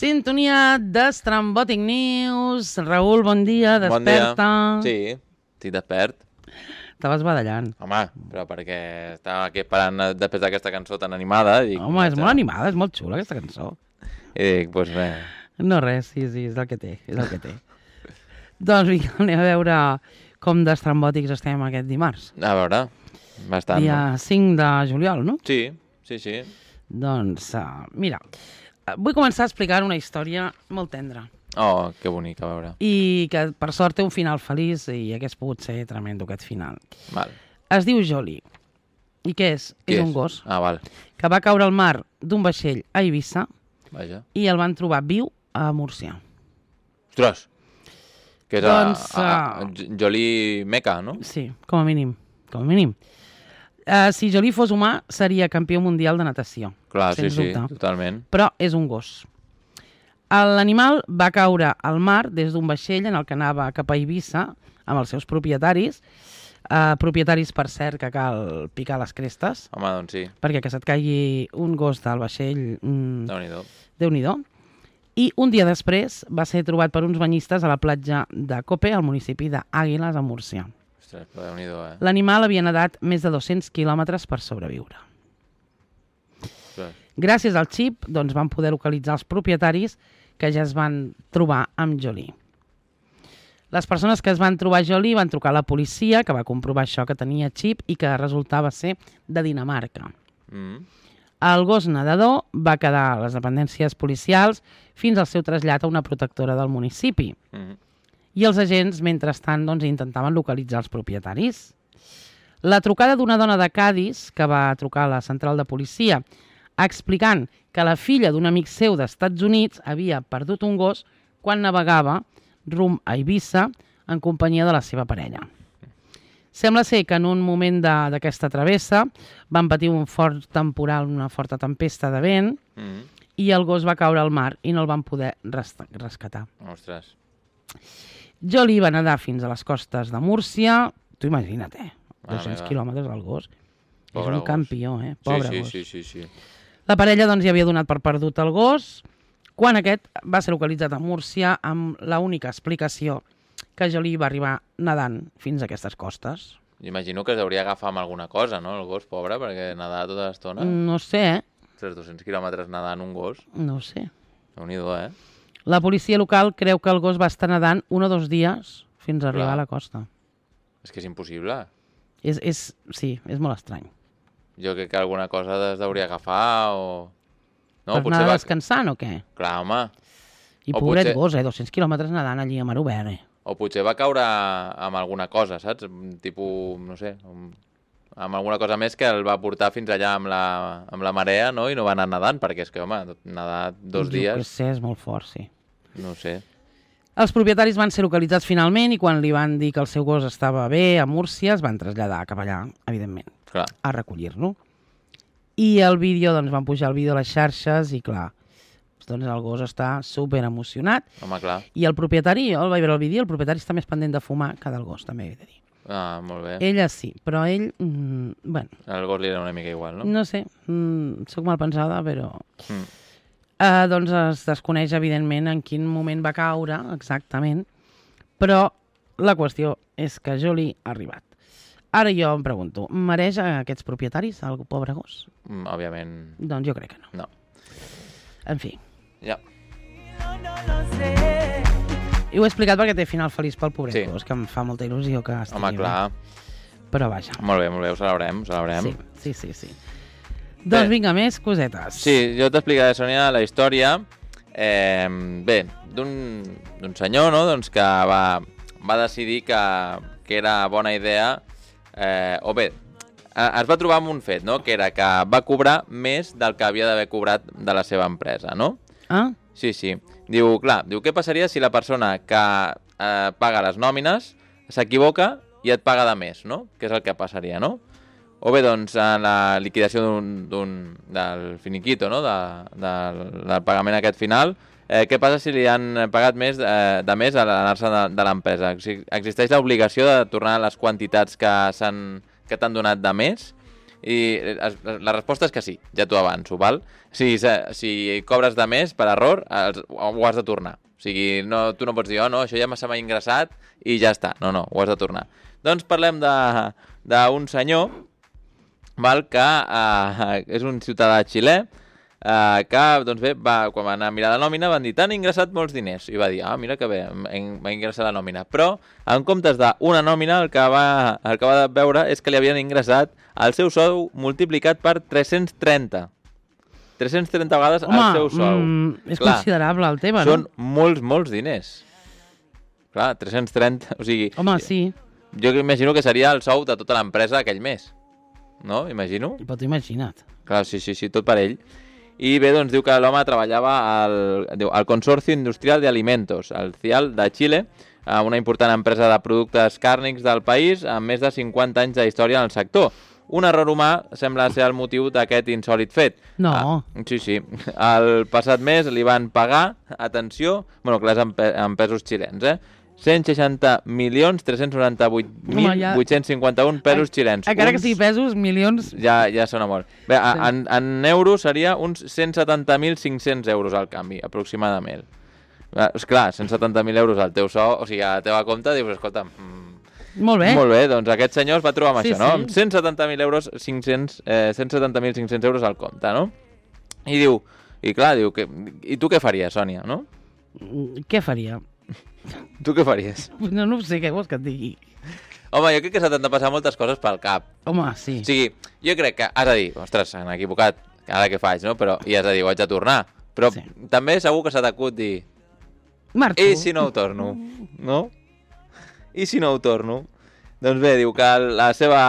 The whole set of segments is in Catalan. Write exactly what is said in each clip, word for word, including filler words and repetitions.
Sintonia d'Estrambòtic News. Raül, bon dia, desperta. Bon dia. Sí, estic despert. Estaves badallant. Home, però perquè estava aquí esperant després d'aquesta cançó tan animada. Dic, Home, és molt animada, és molt xula aquesta cançó. I dic, doncs pues res. No res, sí, sí, és el que té, és el que té. Doncs vinga, anem a veure com d'estrambòtics estem aquest dimarts. A veure, bastant. Dia cinc de juliol, no? Sí, sí, sí. Doncs, uh, mira, vull començar explicant una història molt tendra. Oh, que bonic, a veure. I que, per sort, té un final feliç i hagués pogut ser tremendo aquest final. Val. Es diu Jolie. I què és? Qui és, és un gos Ah, val. que va caure al mar d'un vaixell a Eivissa. Vaja. I el van trobar viu a Múrcia. Ostres! Que és doncs, a, a, a Jolie Meca, no? Sí, com a mínim. Com a mínim. Uh, si Jolie fos humà, seria campió mundial de natació. Clar, sí, sí, dubte. totalment. Però és un gos. L'animal va caure al mar des d'un vaixell en el que anava cap a Eivissa amb els seus propietaris. Uh, propietaris, per cert, que cal picar les crestes. Home, doncs sí. Perquè que se't caigui un gos del vaixell... Mm, Déu-n'hi-do. Déu-n'hi-do. I un dia després va ser trobat per uns banyistes a la platja de Cope, al municipi d'Àguiles, a Múrcia. Ostres, però Déu-n'hi-do, eh? L'animal havia nedat més de dos-cents quilòmetres per sobreviure. Ostres. Gràcies al xip, doncs, van poder localitzar els propietaris que ja es van trobar amb Jolie. Les persones que es van trobar Jolie van trucar a la policia, que va comprovar això, que tenia xip i que resultava ser de Dinamarca. Mm. El gos nedador va quedar a les dependències policials fins al seu trasllat a una protectora del municipi. Mm. I els agents, mentrestant, doncs, intentaven localitzar els propietaris. La trucada d'una dona de Cadis, que va trucar a la central de policia, explicant que la filla d'un amic seu d'Estats Units havia perdut un gos quan navegava rumb a Eivissa en companyia de la seva parella. Sembla ser que en un moment d'aquesta travessa van patir un fort temporal, una forta tempesta de vent, Mm. i el gos va caure al mar i no el van poder res rescatar. Ostres. Jolie va nedar fins a les costes de Múrcia. Tu imagina't, eh? Mare dos-cents meva. quilòmetres al gos. Pobre És un gos. campió, eh? Pobre sí, sí, gos. sí, sí, sí. La parella, doncs, ja havia donat per perdut el gos quan aquest va ser localitzat a Múrcia amb l'única explicació que Jolie va arribar nedant fins a aquestes costes. Imagino que s'hauria d'agafar amb alguna cosa, no? El gos, pobre, perquè nedar tota l'estona. No sé, eh? Ostres, dos-cents quilòmetres nedant un gos. No ho sé. Déu-n'hi-do, eh? La policia local creu que el gos va estar nedant un o dos dies fins a arribar Clar. a la costa. És que és impossible. És, és, sí, és molt estrany. Jo crec que alguna cosa es hauria d'agafar o... No, per anar va... descansant o què? Clar, home. I O pobret potser- gos, eh? dos-cents quilòmetres nedant allí a mar obert, eh? O potser va caure amb alguna cosa, saps? Tipus, no sé, amb, amb alguna cosa més que el va portar fins allà amb la, amb la marea, no? I no va anar nedant, perquè és que, home, nedar dos Jo què dies, sé, és molt fort, sí. no sé. Els propietaris van ser localitzats finalment i quan li van dir que el seu gos estava bé a Múrcia es van traslladar cap allà, evidentment, Clar. a recollir-lo. I el vídeo, doncs van pujar el vídeo a les xarxes i clar, doncs el gos està super emocionat. Home, clar. I el propietari, jo el vaig veure el vídeo, el propietari està més pendent de fumar que del gos, també he de dir. Ah, molt bé. Ella sí, però ell, mm, bueno, El gos li era una mica igual, no? no sé, mm, soc mal pensada, però... Mm. Uh, doncs es desconeix, evidentment, en quin moment va caure, exactament, però la qüestió és que Jolie ha arribat. Ara jo em pregunto, mereix a aquests propietaris, el pobre gos? Mm, òbviament, Doncs jo crec que no. no. En fi, Ja. i ho he explicat perquè té final feliç pel pobret Sí. gos, que em fa molta il·lusió que estigui Home, clar. bé. Però vaja, Molt bé, molt bé, ho celebrem, ho celebrem. sí, sí, sí, sí. Doncs vinga, més cosetes. Sí, jo t'explicaré, Sònia, la història, eh, bé, d'un d'un senyor, no?, doncs que va, va decidir que, que era bona idea, eh, o bé, eh, es va trobar amb un fet, no?, que era que va cobrar més del que havia d'haver cobrat de la seva empresa, no? Ah? Sí, sí. Diu, clar, diu, què passaria si la persona que eh, paga les nòmines s'equivoca i et paga de més, no? Què és el que passaria, no? O bé, doncs, en la liquidació d'un, d'un, del finiquito, no?, de, de, del pagament aquest final, eh, què passa si li han pagat més eh, de més a l'anar-se de, de l'empresa? Si existeix l'obligació de tornar les quantitats que s'han que t'han donat de més I la resposta és que sí, ja t'ho avanço, val? Si, si cobres de més per error, ho has de tornar. O sigui, no, tu no pots dir, oh, no, això ja se m'ha ingressat i ja està. No, no, ho has de tornar. Doncs parlem d'un senyor, val, que uh, és un ciutadà xilè, Uh, que, doncs bé, va, quan va anar a mirar la nòmina van dir, t'han ingressat molts diners. I va dir, ah, mira que bé, m'ha ingressat la nòmina. Però, en comptes d'una nòmina, el que, va, el que va veure és que li havien ingressat el seu sou multiplicat per tres-cents trenta. tres-cents trenta vegades Home, el seu sou. Mm, és Clar, considerable el tema, són no? Són molts, molts diners. Clar, tres-cents trenta, o sigui... Home, sí. Jo imagino que seria el sou de tota l'empresa aquell mes. No? Imagino. Però t'ho imagina't. Clar, sí, sí, sí, tot per ell. I bé, doncs diu que l'home treballava al, diu, al Consorcio Industrial de Alimentos, al C I A L de Xile, una important empresa de productes càrnics del país amb més de cinquanta anys de història en el sector. Un error humà sembla ser el motiu d'aquest insòlit fet. No. Ah, sí, sí. El passat mes li van pagar, atenció, bueno, clar, és en, pe en pesos xilens, eh? cent seixanta milions tres-cents noranta-vuit mil vuit-cents cinquanta-un pesos xilens. Encara que sigui pesos, milions... Ja, ja sona molt. Bé, sí. en, en euros seria uns cent setanta mil cinc-cents euros al canvi, aproximadament. Esclar, cent setanta mil euros al teu sou, o sigui, a la teva compte, dius, escolta... Mm, molt bé. Molt bé, doncs aquest senyor es va trobar amb sí, això, no? Sí. Amb cent setanta mil euros, cinc-cents, eh, cent setanta mil cinc-cents euros al compte, no? I diu, i clar, diu, que, i tu què faries, Sònia, no? Què faria? Tu què faries? No, no sé, què vols que et digui? Home, jo crec que se t'han de passar moltes coses pel cap. Home, sí. O sigui, jo crec que has de dir, ostres, s'han equivocat, ara què faig, no? Però, i has de dir, ho haig de tornar. Però sí. També segur que se t'acut dir... Marxo. I si no ho torno, no? I si no ho torno? Doncs bé, diu que la seva,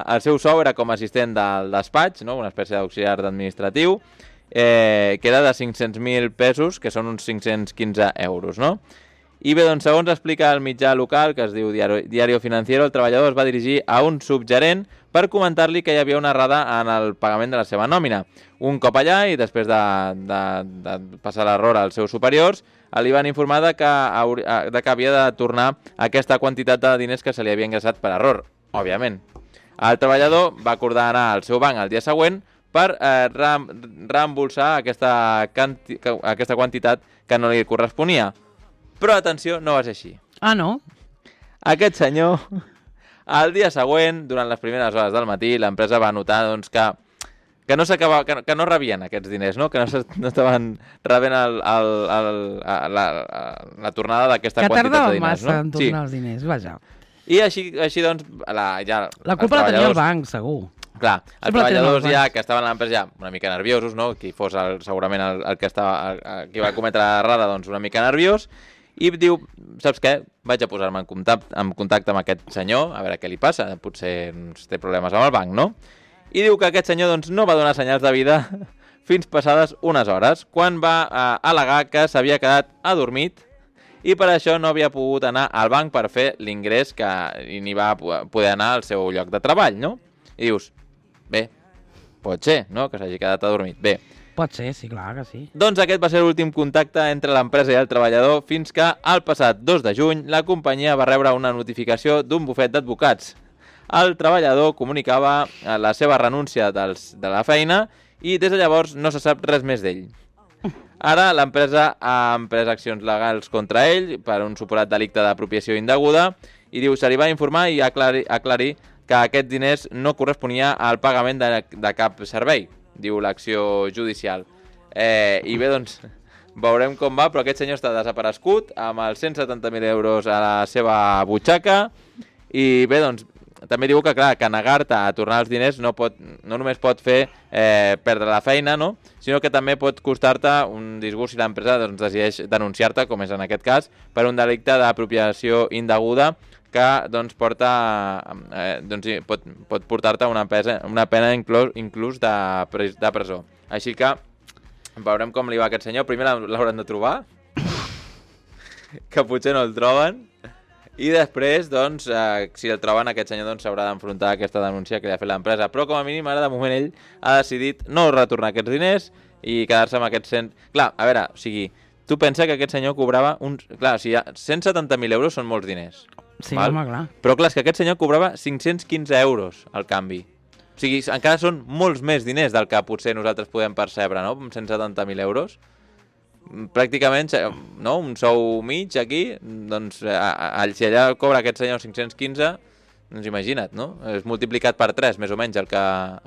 el seu sou era com a assistent del despatx, no? Una espècie d'auxiliar administratiu, eh, que era de cinc-cents mil pesos, que són uns cinc-cents quinze euros, no? I bé, doncs, segons explica el mitjà local, que es diu Diario Financiero, el treballador es va dirigir a un subgerent per comentar-li que hi havia una errada en el pagament de la seva nòmina. Un cop allà, i després de, de, de passar l'error als seus superiors, li van informar de que, de que havia de tornar aquesta quantitat de diners que se li havia ingressat per error, òbviament. El treballador va acordar anar al seu banc el dia següent per eh, reembolsar aquesta, quanti aquesta quantitat que no li corresponia. Però, atenció, no va ser així. Ah, no? Aquest senyor, el dia següent, durant les primeres hores del matí, l'empresa va notar doncs, que, que, no que, que no rebien aquests diners, no? Que no, no estaven rebent el, el, el, la, la, la tornada d'aquesta quantitat de diners. Que tardava massa en tornar sí. els diners, vaja. I així, així doncs... La, ja, la culpa la tenia el banc, segur. Clar, els treballadors ja, que estaven a l'empresa ja una mica nerviosos, no? Qui fos el, segurament el, el que estava, el, qui va cometre l'errada, doncs una mica nerviós, i diu, saps què? Vaig a posar-me en contacte, en contacte amb aquest senyor, a veure què li passa, potser doncs, té problemes amb el banc, no? I diu que aquest senyor doncs, no va donar senyals de vida fins passades unes hores, quan va eh, al·legar que s'havia quedat adormit i per això no havia pogut anar al banc per fer l'ingrés que ni va poder anar al seu lloc de treball, no? I dius, bé, pot ser, no?, que s'hagi quedat adormit. Bé, pot ser, sí, clar que sí. Doncs aquest va ser l'últim contacte entre l'empresa i el treballador fins que, el passat dos de juny, la companyia va rebre una notificació d'un bufet d'advocats. El treballador comunicava la seva renúncia dels, de la feina i des de llavors no se sap res més d'ell. Ara l'empresa ha emprès accions legals contra ell per un suposat delicte d'apropiació indeguda i diu se li va informar i aclarir, aclarir que aquests diners no corresponia al pagament de, de cap servei, diu l'acció judicial. Eh, I bé, doncs, veurem com va, però aquest senyor està desaparegut amb els cent setanta mil euros a la seva butxaca i bé, doncs, també diu que, clar, que negar-te a tornar els diners no, pot, no només pot fer eh, perdre la feina, no?, sinó que també pot costar-te un disgust si l'empresa doncs, decideix denunciar-te, com és en aquest cas, per un delicte d'apropiació indeguda que doncs, porta, eh, doncs, pot, pot portar-te una, una pena inclús, inclús de, pres, de presó. Així que veurem com li va a aquest senyor. Primer l'hauran de trobar, que potser no el troben, i després, doncs, eh, si el troben, aquest senyor doncs, s'haurà d'enfrontar a aquesta denúncia que li ha fet l'empresa. Però, com a mínim, ara, de moment, ell ha decidit no retornar aquests diners i quedar-se amb aquests cent... Clar, a veure, o sigui, tu pensa que aquest senyor cobrava uns... Clar, o sigui, cent setanta mil euros són molts diners. Sí, val? Home, clar. Però, clar, és que aquest senyor cobrava cinc-cents quinze euros al canvi. O sigui, encara són molts més diners del que potser nosaltres podem percebre, no? Amb cent setanta mil euros. Pràcticament, no? Un sou mig aquí, doncs, a, a, si allà cobra aquest senyor cinc-cents quinze, doncs imagina't, no? És multiplicat per tres, més o menys, el que,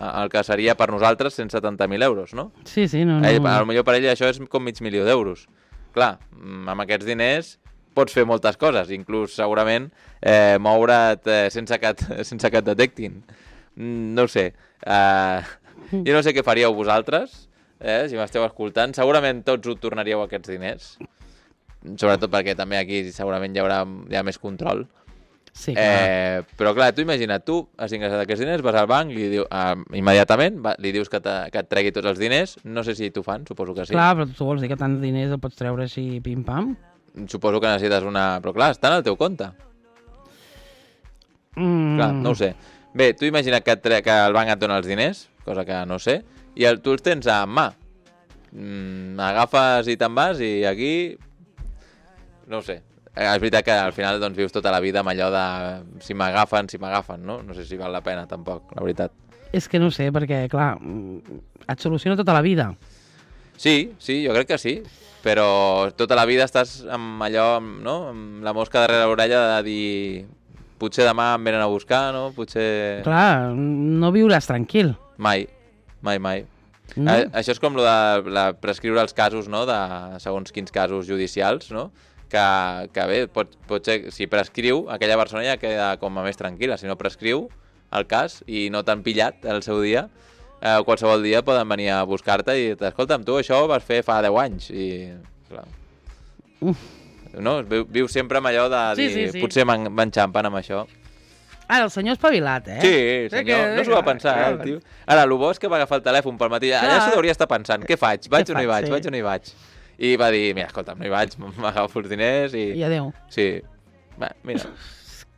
el que seria per nosaltres cent setanta mil euros, no? Sí, sí, no, no. Ell, potser per ell això és com mig milió d'euros. Clar, amb aquests diners pots fer moltes coses, inclús segurament eh, moure't eh, sense, que et, sense que et detectin. No ho sé. Uh, jo no sé què faríeu vosaltres, eh, si m'esteu escoltant. Segurament tots ho tornaríeu aquests diners. Sobretot perquè també aquí segurament hi haurà hi ha més control. Sí, clar. Eh, però clar, tu imagina't, tu has ingressat aquests diners, vas al banc, li diu, eh, immediatament va, li dius que, que et tregui tots els diners, no sé si t'ho fan, suposo que sí. Clar, però tu vols dir que tants diners el pots treure així pim-pam? Suposo que necessites una... Però clar, estan al teu compte. Mm. Clar, no ho sé. Bé, tu imagina que, tre... que el banc et dona els diners, cosa que no sé, i el, tu els tens a mà. Mm, agafes i te'n vas i aquí... No ho sé. És veritat que al final doncs, vius tota la vida amb allò de si m'agafen, si m'agafen, no? No sé si val la pena, tampoc, la veritat. És que no sé, perquè, clar, et soluciona tota la vida. Sí, sí, jo crec que sí, però tota la vida estàs amb allò, no? Amb la mosca darrere l'orella de dir potser demà em venen a buscar, no? Potser... Clar, no viuràs tranquil. Mai, mai, mai. No? Eh, això és com lo de la, prescriure els casos, no? De segons quins casos judicials, no? Que, que bé, pot, pot ser, si prescriu, aquella persona ja queda com a més tranquil·la. Si no prescriu el cas i no t'han pillat el seu dia, eh, qualsevol dia poden venir a buscar-te i escolta'm, tu això ho vas fer fa deu anys. I, clar, no? Viu, viu sempre amb allò de dir, sí, sí, sí. potser m'enxampen amb això. Ara, el senyor espavilat, eh? Sí, senyor, que, no s'ho va pensar, eh, el tio. Ara, el bo és que va agafar el telèfon pel matí. Allà s'ho hauria estar pensant, què faig? Vaig o no hi vaig? Vaig o no hi vaig? I va dir, mira, escolta'm, no hi vaig, m'agafo els diners i... I adéu. Sí, va, mira.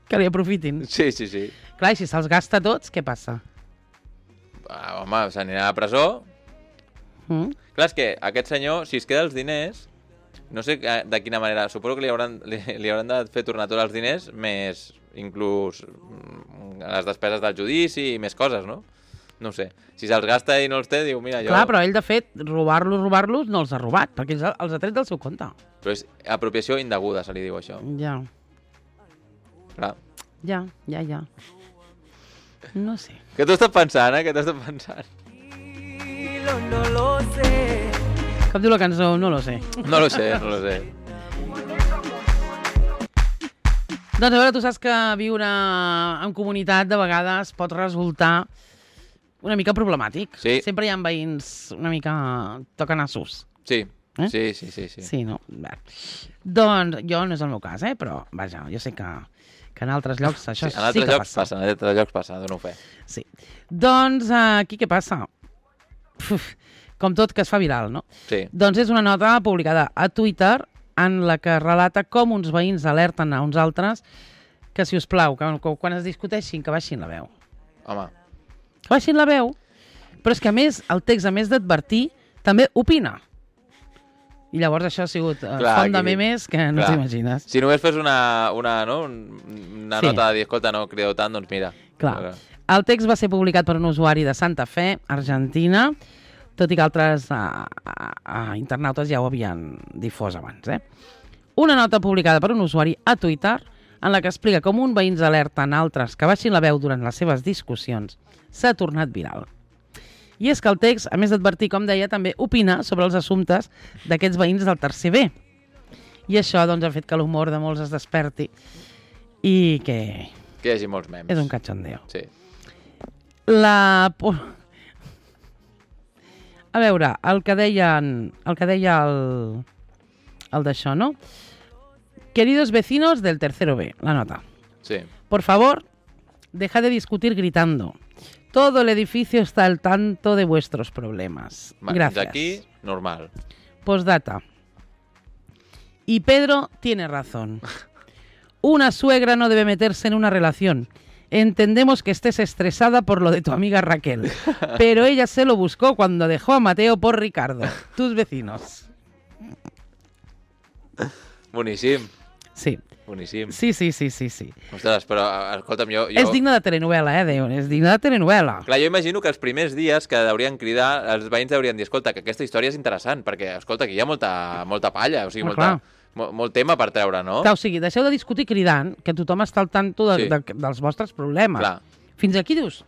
Que li aprofitin. Sí, sí, sí. Clar, i si se'ls gasta tots, què passa? Ah, home, s'anirà a la presó. Mm? Clar, és que aquest senyor, si es queda els diners, no sé de quina manera, suposo que li hauran, li, li hauran de fer tornar tots els diners, més inclús les despeses del judici i més coses, no? No sé. Si se'ls gasta i no els té, diu, mira, jo... Clar, però ell, de fet, robar-los, robar-los, no els ha robat, perquè els ha, els ha tret del seu compte. Però és apropiació indeguda, se li diu això. Ja. Clar. Ja, ja, ja. No sé. Què t'ho estàs pensant, eh? Què t'ho estàs pensant? No lo sé. Com diu la cançó? No lo sé. No lo sé, no lo sé. Doncs a veure, tu saps que viure en comunitat de vegades pot resultar una mica problemàtic. Sí. Sempre hi ha veïns una mica tocanassos. Sí, Eh? sí, sí, sí, sí. Sí, no? Bé. Doncs jo no és el meu cas, eh? Però, vaja, jo sé que, que en altres llocs això Sí, sí, en altres que llocs passa. passa, en altres llocs passa, dono fe. Sí. Doncs aquí què passa? Uf, com tot que es fa viral, no? Sí. Doncs és una nota publicada a Twitter en la que relata com uns veïns alerten a uns altres que, si us plau, que, que quan es discuteixin, que baixin la veu. Home, Que baixin la veu, però és que, a més, el text, a més d'advertir, també opina. I llavors això ha sigut uh, Clar, font de aquí- memes que no clar. t'imagines. si només fes una, una, no? una Sí. nota de dir, escolta, no crideu tant, doncs mira. Clar. El text va ser publicat per un usuari de Santa Fe, Argentina, tot i que altres uh, uh, internautes ja ho havien difós abans. Eh? Una nota publicada per un usuari a Twitter en la que explica com un veïns alerten altres que baixin la veu durant les seves discussions s'ha tornat viral. I és que el text, a més d'advertir, com deia, també opina sobre els assumptes d'aquests veïns del tercer B. I això doncs, ha fet que l'humor de molts es desperti i que Que hi hagi molts memes. és un cachondeo. Sí. La... A veure, el que deien, el que deia el, el d'això, no? Queridos vecinos del tercero B, la nota. Sí. Por favor, deja de discutir gritando. Todo el edificio está al tanto de vuestros problemas. Va, Gracias. D'aquí, normal. Postdata. Y Pedro tiene razón. Una suegra no debe meterse en una relación. Entendemos que estés estresada por lo de tu amiga Raquel, pero ella se lo buscó cuando dejó a Mateo por Ricardo, tus vecinos. Boníssim. Sí. Boníssim. Sí, sí, sí, sí, sí. Ostres, però, escolta'm, jo... jo... És digne de telenovela, eh, Déu, és digne de telenovela. Clar, jo imagino que els primers dies que haurien cridar, els veïns haurien dir, escolta, que aquesta història és interessant, perquè, escolta, aquí hi ha molta, molta palla, o sigui, Home, molta, clar. mo, molt tema per treure, no? Clar, o sigui, deixeu de discutir cridant, que tothom està al tanto de, Sí. de, dels vostres problemes. Clar. Fins aquí dius,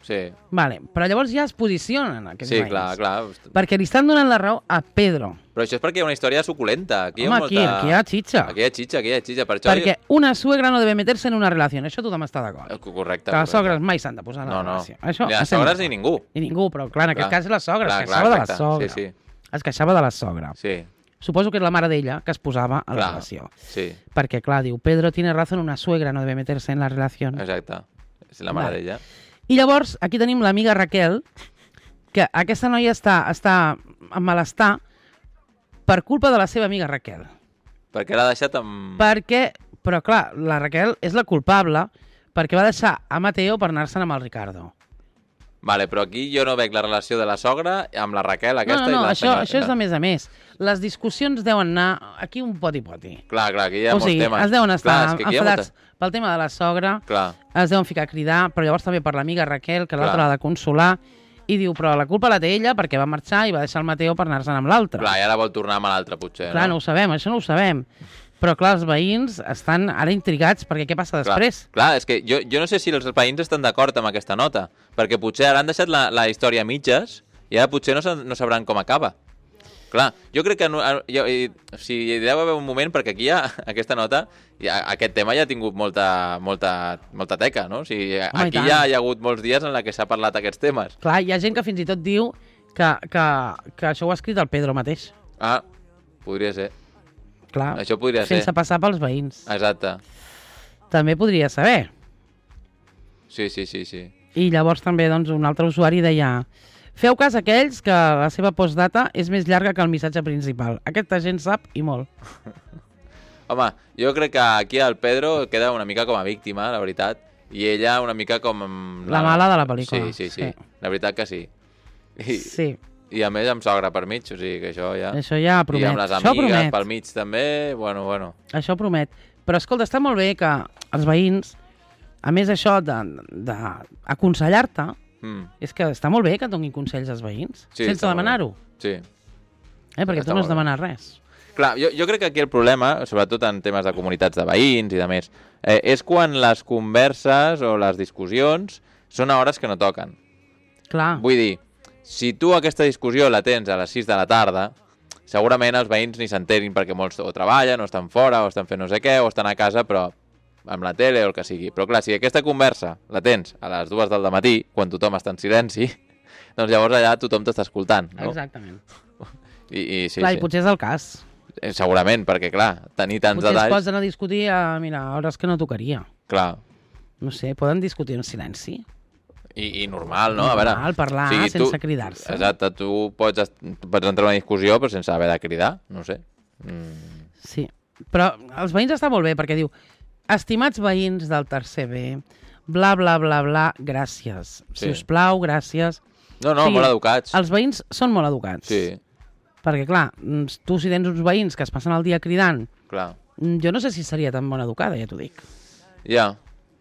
Sí, vale, però llavors ja es posicionen aquests sí, veïns. clar, clar. Perquè li estan donant la raó a Pedro. Però això és perquè hi ha una història suculenta. Aquí hi ha Home, molta... aquí, aquí hi ha xitxa. Aquí hi ha xitxa, aquí hi ha xitxa. Per això... Perquè una suegra no debe meterse en una relació. Això tothom està d'acord. Eh, Correcte. Que les correcte. sogres mai s'han de posar en la No, no. relació. Això Ni les estem sogres d'acord. ni ningú. Ni ningú, però clar, en aquest Clar. cas és la sogra. Clar, es clar, queixava de la exacte. sogra. Sí, sí. Es queixava de la sogra. Sí, Suposo que és la mare d'ella que es posava a la clar. relació. Sí, Perquè, clar, diu, Pedro tiene razón, una suegra no debe meterse en la relació. exacte. És la mare Vale. d'ella. I llavors, aquí tenim l'amiga Raquel, que aquesta noia està, està en malestar per culpa de la seva amiga Raquel. Perquè l'ha deixat amb... Perquè, però clar, la Raquel és la culpable perquè va deixar a Mateo per anar-se'n amb el Ricardo. Vale, però aquí jo no veig la relació de la sogra amb la Raquel No, aquesta no, no, i la això, senyora. això és de més a més. Les discussions deuen anar aquí un poti-poti. Clar, clar, aquí hi ha O molts sigui, temes. es deuen estar clar, és que aquí hi ha enfadats molta... pel tema de la sogra, Clar, es deuen ficar a cridar, però llavors també per l'amiga Raquel, que l'altra Clar. l'ha de consolar, i diu, però la culpa la té ella perquè va marxar i va deixar el Mateo per anar-se'n amb l'altre. clar, i ara vol tornar amb l'altre, potser, Clar, no no? ho sabem, això no ho sabem. Però clar, els veïns estan ara intrigats perquè què passa després? Clar, clar, és que jo, jo no sé si els veïns estan d'acord amb aquesta nota, perquè potser ara han deixat la, la història a mitges i ara potser no, sa- no sabran com acaba. Clar, jo crec que no, jo, i, o sigui, hi deu haver un moment, perquè aquí ja, aquesta nota, ja, aquest tema ja ha tingut molta, molta, molta teca, no? O sigui, Home, i aquí tant. ja hi ha hagut molts dies en la que s'ha parlat aquests temes. Clar, hi ha gent que fins i tot diu que, que, que això ho ha escrit el Pedro mateix. Ah, podria ser. Clar, Això podria ser. sense passar pels veïns. Exacte. També podria saber. Sí, sí, sí, sí. I llavors també doncs, un altre usuari deia: feu cas a aquells que la seva postdata és més llarga que el missatge principal. Aquesta gent sap i molt. Home, jo crec que aquí el Pedro queda una mica com a víctima, la veritat, i ella una mica com... La mala de la pel·lícula. Sí, sí, sí, Sí. la veritat que sí. I, Sí, I a més amb sogra per mig, o sigui que això ja... això ja I promet. amb les Això amigues promet. pel mig també, bueno, bueno. Això promet. Però escolta, està molt bé que els veïns, a més això d'aconsellar-te, Mm, és que està molt bé que et donin consells als veïns, Sí, sense està molt demanar-ho. sí. Eh? Perquè Està tu no has molt bé. demanat res. Clar, jo, jo crec que aquí el problema, sobretot en temes de comunitats de veïns i de més, eh, és quan les converses o les discussions són a hores que no toquen. Clar, Vull dir, si tu aquesta discussió la tens a les sis de la tarda, segurament els veïns ni s'enterin perquè molts o treballen, o estan fora, o estan fent no sé què, o estan a casa, però amb la tele o el que sigui. Però clar, si aquesta conversa la tens a les dues del matí, quan tothom està en silenci, doncs llavors allà tothom t'està escoltant, no? exactament. I, i sí, clar, sí. i potser és el cas. Eh, Segurament, perquè clar, tenir tants Potser es detalls... posen a discutir a, mira, a hores que no tocaria. Clar, No sé, poden discutir en silenci. i, i normal, no? A veure, Normal, parlar sense cridar-se. Exacte, tu pots, est- pots entrar en una discussió però sense haver de cridar, no sé. Mm, Sí, però els veïns està molt bé perquè diu: estimats veïns del tercer B, bla, bla, bla, bla, gràcies. Sí. Si us plau, gràcies. No, no, Sí, molt educats. Els veïns són molt educats. Sí, Perquè, clar, mm, tu si tens uns veïns que es passen el dia cridant, clar. mm, jo no sé si seria tan bona educada, ja t'ho dic. Ja.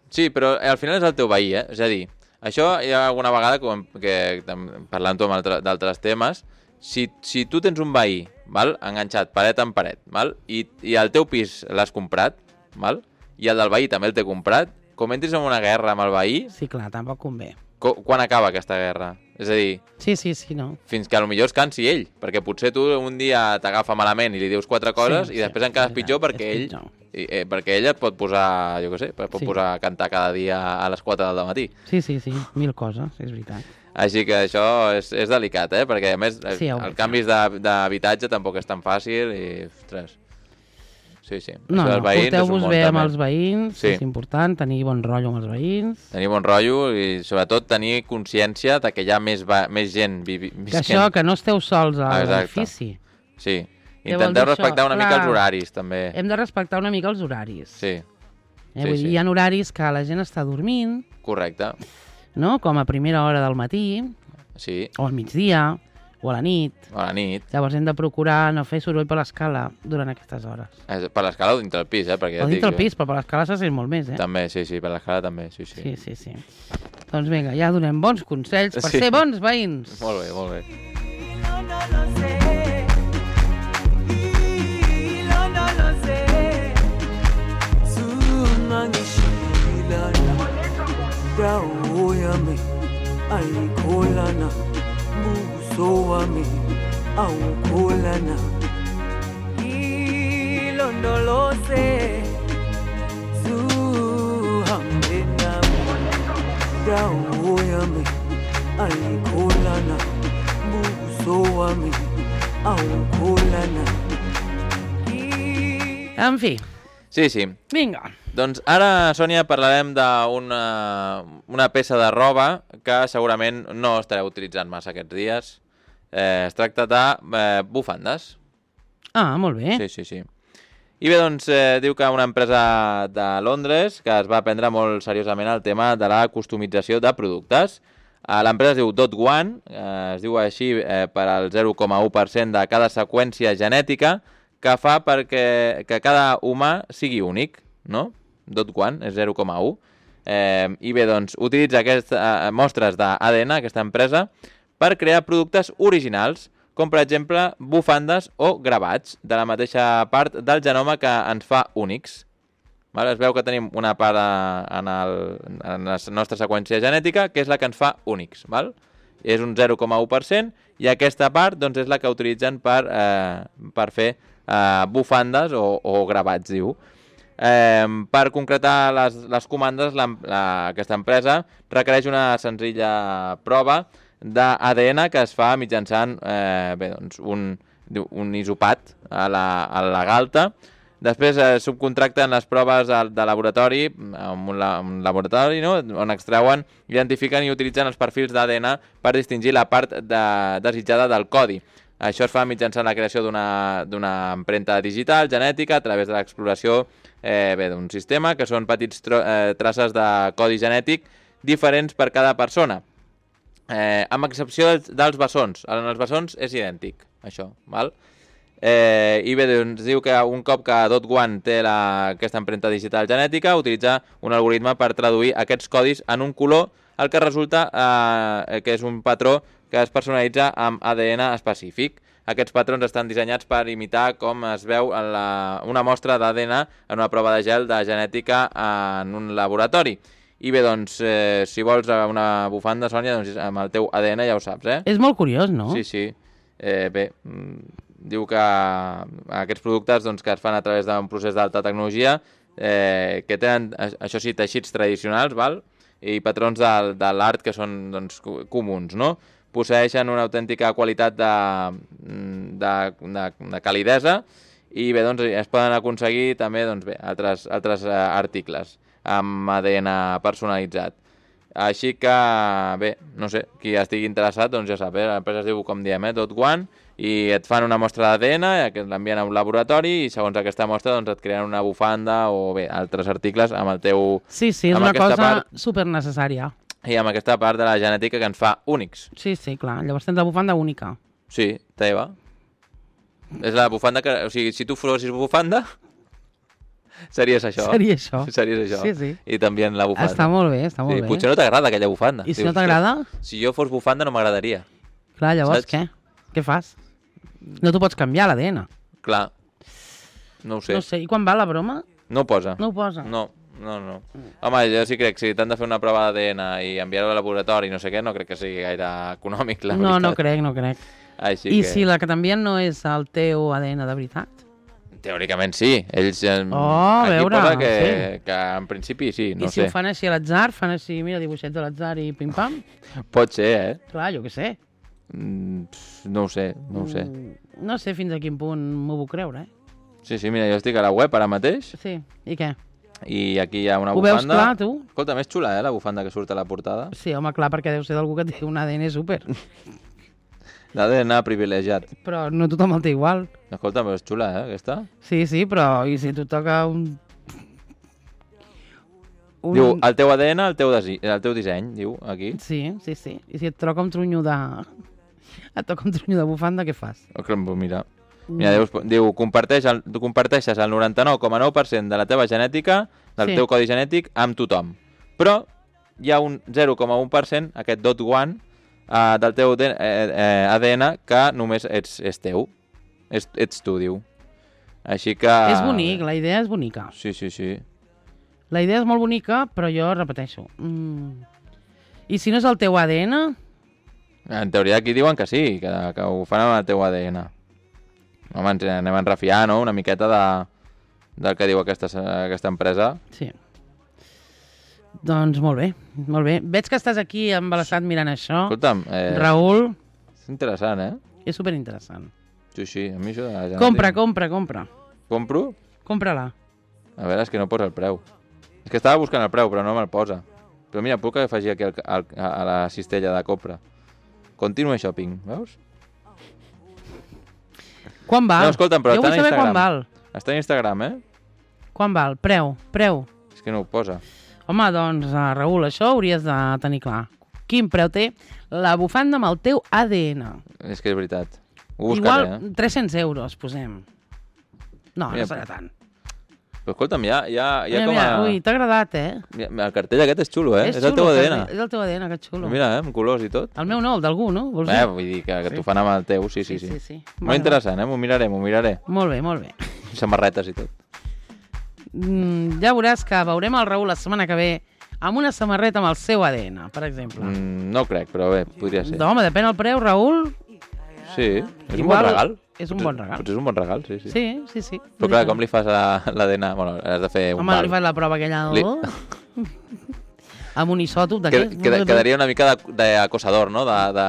Sí, però al final és el teu veí, eh? És a dir, això hi ha alguna vegada com que tam- parlant amb altre- d'altres temes, si, si tu tens un veí, val, enganxat paret en paret, val, i, i el teu pis l'has comprat, val, i el del veí també el té comprat, com entris en una guerra amb el veí, Sí, clar, tampoc convé. co quan acaba aquesta guerra? És a dir, Sí, sí, sí, no. fins que potser es cansi ell, perquè potser tu un dia t'agafa malament i li dius quatre coses Sí, i sí, després encara és és pitjor veritat, perquè és ell, pitjor. i, eh, perquè ell et pot posar, jo què sé, pot Sí. posar a cantar cada dia a les quatre del matí. Sí, sí, sí, mil coses, és veritat. Així que això és, és delicat, eh? Perquè a més Sí, ja ho el veig, canvis de- d'habitatge tampoc és tan fàcil i, ostres, sí, sí. No, Això no, dels veïns és un porteu-vos món bé amb també. els veïns, Sí. és important tenir bon rotllo amb els veïns. Tenir bon rotllo i sobretot tenir consciència de que hi ha més, va, més gent vivi, Que això, que no esteu sols a Ah, exacte. l'edifici. Sí. Què vol Intenteu dir això? respectar una mica Clar. els horaris, també. Hem de respectar una mica els horaris. Sí, Eh? sí, Vull sí. dir, hi ha horaris que la gent està dormint, correcte. no? Com a primera hora del matí, Sí, o al migdia, o a la nit. A la nit. Llavors hem de procurar no fer soroll per l'escala durant aquestes hores. Eh, Per l'escala o dintre del pis, eh? Perquè ja O et dintre dic, el pis, però per l'escala se sent molt més, eh? També, sí, sí, per l'escala també, sí, sí. Sí, sí, sí. Doncs vinga, ja donem bons consells per Sí. ser bons veïns. Molt bé, molt bé. No, no lo sé. No, no lo sé. Sungangishilana. Dawo yami ayikholana. Buso wami awukholana. Ilondoloze. Zuhambe nami. Dawo yami ayikholana. Buso wami awukholana. En fi, Sí, sí. vinga. Doncs ara, Sònia, parlarem d'una una peça de roba que segurament no estareu utilitzant massa aquests dies. Eh, es tracta de eh, bufandes. Ah, molt bé. Sí, sí, sí. I bé, doncs, eh, diu que una empresa de Londres que es va prendre molt seriosament el tema de la customització de productes. Eh, L'empresa es diu Dot One, eh, es diu així eh, per al zero coma u per cent de cada seqüència genètica que fa perquè que cada humà sigui únic, no? Dot One és zero coma u. Eh, I bé, doncs, utilitza aquestes eh, mostres d'A D N, aquesta empresa, per crear productes originals, com per exemple bufandes o gravats, de la mateixa part del genoma que ens fa únics. Val? Es veu que tenim una part eh, en, el, en la nostra seqüència genètica que és la que ens fa únics. Val? És un zero coma u per cent i aquesta part doncs, és la que utilitzen per, eh, per fer eh, bufandes o, o gravats, diu. Eh, per concretar les, les comandes, la, la, aquesta empresa requereix una senzilla prova d'A D N que es fa mitjançant eh, bé, doncs un, un isopat a la, a la galta. Després eh, subcontracten les proves de, de laboratori, en un, la, un laboratori, no? On extreuen, identifiquen i utilitzen els perfils d'A D N per distingir la part de, desitjada del codi. Això es fa mitjançant la creació d'una empremta digital genètica a través de l'exploració eh, d'un sistema, que són petits tro, eh, traces de codi genètic diferents per cada persona, eh, amb excepció dels, dels bessons. En els bessons és idèntic, això, val? Eh, I bé, doncs, diu que un cop que Dot One té la, aquesta empremta digital genètica, utilitza un algoritme per traduir aquests codis en un color, el que resulta eh, que és un patró que es personalitza amb A D N específic. Aquests patrons estan dissenyats per imitar com es veu en la, una mostra d'A D N en una prova de gel de genètica en un laboratori. I bé, doncs, eh, si vols una bufanda, Sònia, doncs amb el teu A D N ja ho saps, eh? És molt curiós, no? Sí, sí. Eh, bé, diu que aquests productes doncs, que es fan a través d'un procés d'alta tecnologia, eh, que tenen, això sí, teixits tradicionals, val? I patrons de, de l'art que són doncs, comuns, no? Posseeixen una autèntica qualitat de, de, de, de calidesa i bé, doncs, es poden aconseguir també doncs, bé, altres, altres uh, articles amb A D N personalitzat. Així que, bé, no sé, qui estigui interessat, doncs ja sap, eh? L'empresa es diu, com diem, eh? Dot One, i et fan una mostra d'A D N, que l'envien a un laboratori, i segons aquesta mostra doncs, et creen una bufanda o bé, altres articles amb el teu... Sí, sí, és una cosa part... supernecessària. I amb aquesta part de la genètica que ens fa únics. Sí, sí, clar. Llavors tens la bufanda única. Sí, teva. És la bufanda que... O sigui, si tu fossis bufanda, series això. Seria això. Series això. Sí, sí. I també la bufanda. Està molt bé, està molt sí, bé. Potser no t'agrada aquella bufanda. I si Dius, no t'agrada? Si jo fos bufanda no m'agradaria. Clar, llavors Saps? què? Què fas? No t'ho pots canviar, l'A D N. Clar. No ho sé. No sé. I quan va la broma? No ho posa. No ho posa. No, no, no. Home, jo sí crec que si t'han de fer una prova d'A D N i enviar-ho al laboratori i no sé què, no crec que sigui gaire econòmic, la No, veritat. no crec, no crec. Així I que... si la que t'envien no és el teu A D N de veritat? Teòricament sí. Ells... eh, Oh, a aquí veure, posa que, sí. que en principi sí, no I si sé. ho fan així a l'atzar, fan així, mira, dibuixets a l'atzar i pim-pam? Pot ser, eh? Clar, jo què sé. Mm, no ho sé, no ho sé. Mm, No sé fins a quin punt m'ho puc creure, eh? Sí, sí, mira, jo estic a la web ara mateix Sí, i què? i aquí hi ha una Ho bufanda. veus clar, tu? Escolta, més xula, eh, la bufanda que surt a la portada. Sí, home, clar, perquè deu ser d'algú que té un A D N súper. L'A D N privilegiat. Però no tothom el té igual. Escolta, però és xula, eh, aquesta. Sí, sí, però i si tu toca un... un... Diu, el teu A D N, el teu, desi... el teu disseny, diu, aquí. Sí, sí, sí. I si et troca un trunyo de... Et toca un tronyo de bufanda, què fas? Mira, mira diu, diu comparteix el, tu comparteixes el noranta-nou coma nou per cent de la teva genètica, del Sí. teu codi genètic, amb tothom. Però hi ha un zero coma un per cent, aquest dot one, uh, del teu eh, eh, A D N que només ets, és teu. És, ets tu, diu. Així que... És bonic, la idea és bonica. Sí, sí, sí. La idea és molt bonica, però jo repeteixo. Mm. I si no és el teu A D N? En teoria aquí diuen que sí, que, que ho fan amb el teu A D N. Home, ens anem a enrefiar, no?, una miqueta de, del que diu aquesta, aquesta empresa. Sí. Doncs molt bé, molt bé. Veig que estàs aquí embalassat mirant això. Escolta'm, eh, Raül, és interessant, eh? és superinteressant. Sí, sí, a mi això... De la Compra, genètica- compra, compra. Compro? Compra-la. A veure, és que no posa el preu. És que estava buscant el preu, però no me'l posa. Però mira, puc afegir aquí el, el, a la cistella de compra. Continue shopping, veus? Quan val? No, escolta'm, però jo està vull en saber quan Instagram. val. Està en Instagram, eh? Quan val? Preu, preu. És que no ho posa. Home, doncs, uh, Raül, això hauries de tenir clar. Quin preu té la bufanda amb el teu A D N? És que és veritat. Ho buscaré, Igual eh? tres-cents euros, posem. No, Mira, no serà tant. Però escolta'm, ja, ja, ja Mira, com mira, a... ui, t'ha agradat, eh? Mira, el cartell aquest és xulo, eh? És, el xulo, teu A D que N. És el teu A D N, que xulo. Mira, eh? Amb colors i tot. El meu no, el d'algú, no? Vols Eh, dir? vull dir que, que Sí. t'ho fan amb el teu, sí, sí, sí. sí, sí. Molt Bueno, interessant, eh? M'ho miraré, m'ho miraré. Molt bé, molt bé. Samarretes i tot. Mm, ja veuràs que veurem el Raül la setmana que ve amb una samarreta amb el seu A D N, per exemple. Mm, no ho crec, però bé, podria ser. Home, depèn el preu, Raül. Sí, és un Igual bon regal. és un Potser- bon regal. Potser és un bon regal, sí, sí. Sí, sí, sí. Però clar, com li fas a l'A D N? Bueno, has de fer un Home, val. li fas la prova aquella... Li- Oh. amb un isòtop Qued, d'aquest. qued, quedaria una mica de- d'acosador, no? De, de,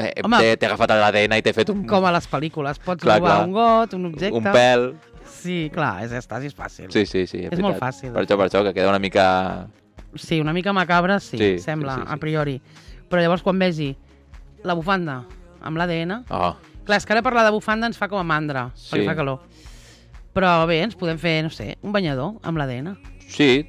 eh, Home. t'he t'he agafat l'A D N i t'he fet un, Com a les pel·lícules. Pots Clar, robar clar. un got, un objecte... un pèl. Sí, clar, és, estàs, és fàcil. Sí, sí, sí. És molt fàcil. Per això, per això, que queda una mica... Sí, una mica macabra, sí, Sí, sembla, sí, sí, sí. a priori. Però llavors quan vegi la bufanda amb l'A D N... Oh, Clar, és que ara parlar de bufanda ens fa com a mandra, Sí. perquè fa calor. Però bé, ens podem fer, no sé, un banyador amb l'A D N. sí,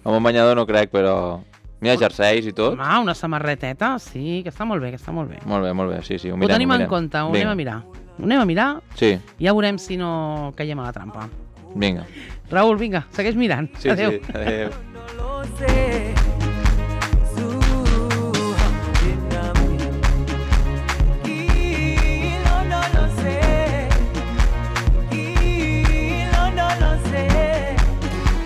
amb un banyador no crec, però... Mira, jerseis i tot. Home, una samarreteta, sí, que està molt bé, que està molt bé. Molt bé, molt bé, sí, sí, ho Ho mirem. tenim ho en mirem. compte, ho Vinga. anem a mirar. Ho anem a mirar Sí, i ja veurem si no caiem a la trampa. vinga. Raül, vinga, segueix mirant. Sí, Adéu. sí, adéu. No lo sé.